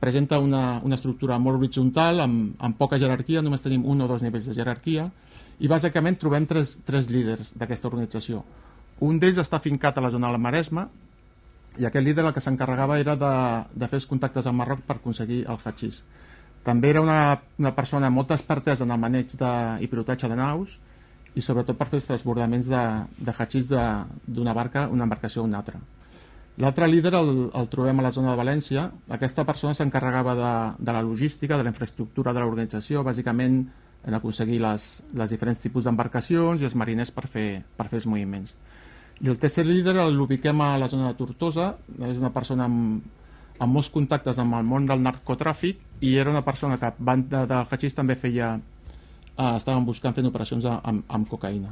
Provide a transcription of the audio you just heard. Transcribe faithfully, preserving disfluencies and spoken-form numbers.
presenta una, una estructura molt horitzontal, amb, amb poca jerarquia, només tenim un o dos nivells de jerarquia, i bàsicament trobem tres, tres líders d'aquesta organització. Un d'ells està fincat a la zona del Maresme, i aquest líder el que s'encarregava era de, de fer els contactes amb Marroc per aconseguir el hatxís. També era una, una persona amb molta expertesa en el maneig de, i pilotatge de naus, i sobretot per fer els transbordaments de, de hatxís d'una barca, una embarcació a una altra. L'altre líder el, el trobem a la zona de València. Aquesta persona s'encarregava de, de la logística, de la infraestructura de l'organització, bàsicament en aconseguir les, les diferents tipus d'embarcacions i els mariners per fer, per fer els moviments. I el tercer líder l'ubiquem a la zona de Tortosa. És una persona amb, amb molts contactes amb el món del narcotràfic, i era una persona que, banda del hatxís, també feia, eh, estaven buscant fent operacions amb, amb cocaïna.